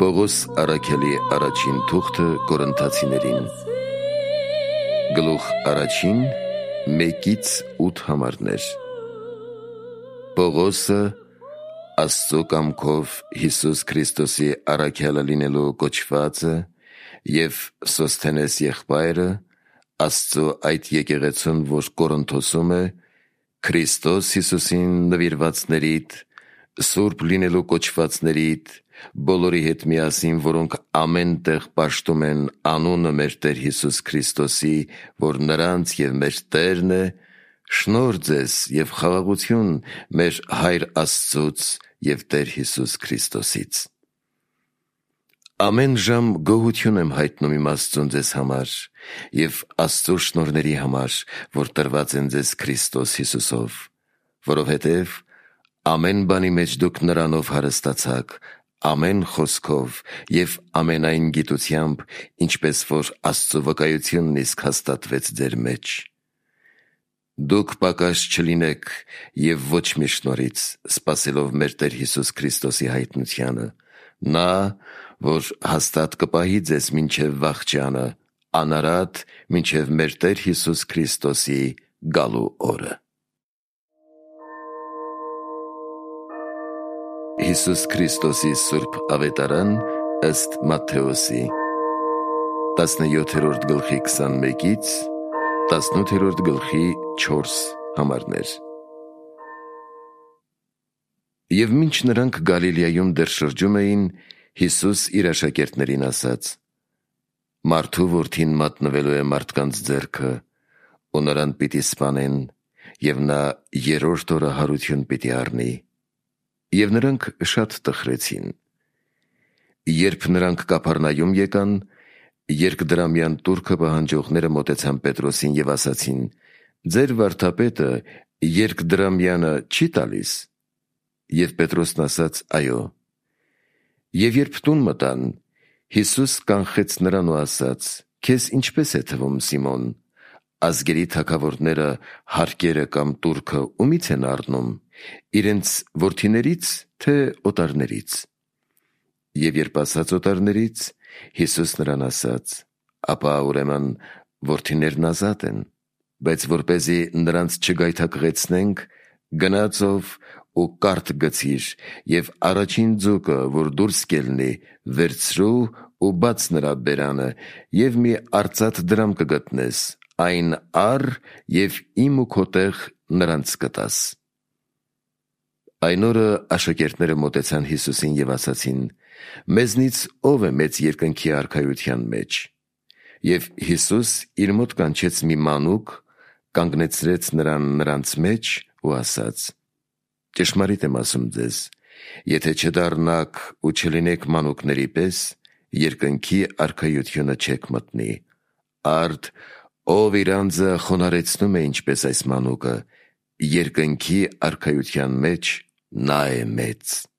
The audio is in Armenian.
Պողոս առաքյալի առաջին թուղթը Կորինթացիներին գլուխ առաջին 1-8 համարներ։ Պողոսը Աստծո կամքով Հիսուս Քրիստոսի առաքյալը լինելու կոչվածը և Սոսթենես եղբայրը Աստծո այդ եկեղեցուն, որ Կորինթոսում է, Քրիստոս Հիսուսին նվիրվածներիդ, սուրբ լինելու կոչվածներիդ, բոլորի հետ միասին, որոնք ամեն տեղ պաշտում են անունը մեր Տեր Հիսուս Քրիստոսի, որ նրանց և մեր Տերն է, շնորհ ձեզ և խաղաղություն մեր Հայր Աստծուց և Տեր Հիսուս Քրիստոսից։ Ամեն ժամ գոհություն եմ հայտնում իմ Աստծուն ձեզ համար և Աստծո շնորհների համար, որ տրված են ձեզ Քրիստոս Հիսուսով, որովհետև ամեն բանի մեջ դուք նրանով հարստացաք, ամեն խոսքով և ամենայն գիտությամբ, ինչպես որ Աստծո վկայությունն իսկ հաստատվեց ձեր մեջ։ Դուք պակաս չլինեք և ոչ մի շնորհից, սպասելով մեր Տեր Հիսուս Քրիստոսի հայտնությանը, նա, որ հաստատ կպահի ձեզ մինչև վախճանը, անարատ մինչև մեր Տեր Հիսուս Քրիստոսի գալու օրը։ Հիսուս Քրիստոսի Սուրբ Ավետարան ըստ Մատթեոսի 17-րդ գլխի 21-ից 18-րդ գլխի 4 համարներ։ Եվ մինչ նրանք Գալիլեայում դեռ շրջում էին, Հիսուս իր աշակերտներին ասաց. «Մարդու որդին մատնվելու է մարդկանց ձեռքը, ու նրան պիտի սպանեն, և նա երրորդ օրը հարություն պիտի առնի»։ Եվ նրանք շատ տխրեցին։ Երբ նրանք Կափառնայում եկան, երկդրամյան տուրքը պահանջողները մոտեցան Պետրոսին և ասացին. «Ձեր վարդապետը երկդրամյանը չի տալիս»։ Եվ Պետրոսն ասաց. «Այո»։ Եվ երբ տուն մտան, Հիսուս կանխեց նրան ու ասաց. «Քեզ ինչպես է թվում, Սիմոն, ազգերի թագավորները հարկերը կամ տուրքը ումի՞ց են առնում, իրենց որդիների՞ց, թե օտարների՞ց»։ Եվ երբ ասաց օտարներից, Հիսուս նրան ասաց. «Ապա ուրեմն որդիներն ազատ են, բայց որպեսզի նրանց չգայթակղեցնենք, գնա ծով ու կարթ գցիր և առաջին ձուկը, որ դուրս կելնի, վերցրու ու բաց նրա բերանը, և մի արծաթ դրամ կգտնես, այն առ և իմ ու քո տեղ նրանց կտաս»։ Այն օրը աշակերտները մոտեցան Հիսուսին և ասացին. «Մեզնից ո՞վ է մեծ երկնքի արքայության մեջ»։ Եվ Հիսուս իր մոտ կանչեց մի մանուկ, կանգնեցրեց նրան նրանց մեջ ու ասաց. «Ճշմարիտ եմ ասում ձեզ, եթե չդառնաք ու չլինեք մանուկների պես, երկնքի արքայությունը չեք մտնի։ Արդ ով իր անձը խոնարհեցնում է ինչպես այս մանուկը, երկնքի արքայության մեջ նա է մեծ»։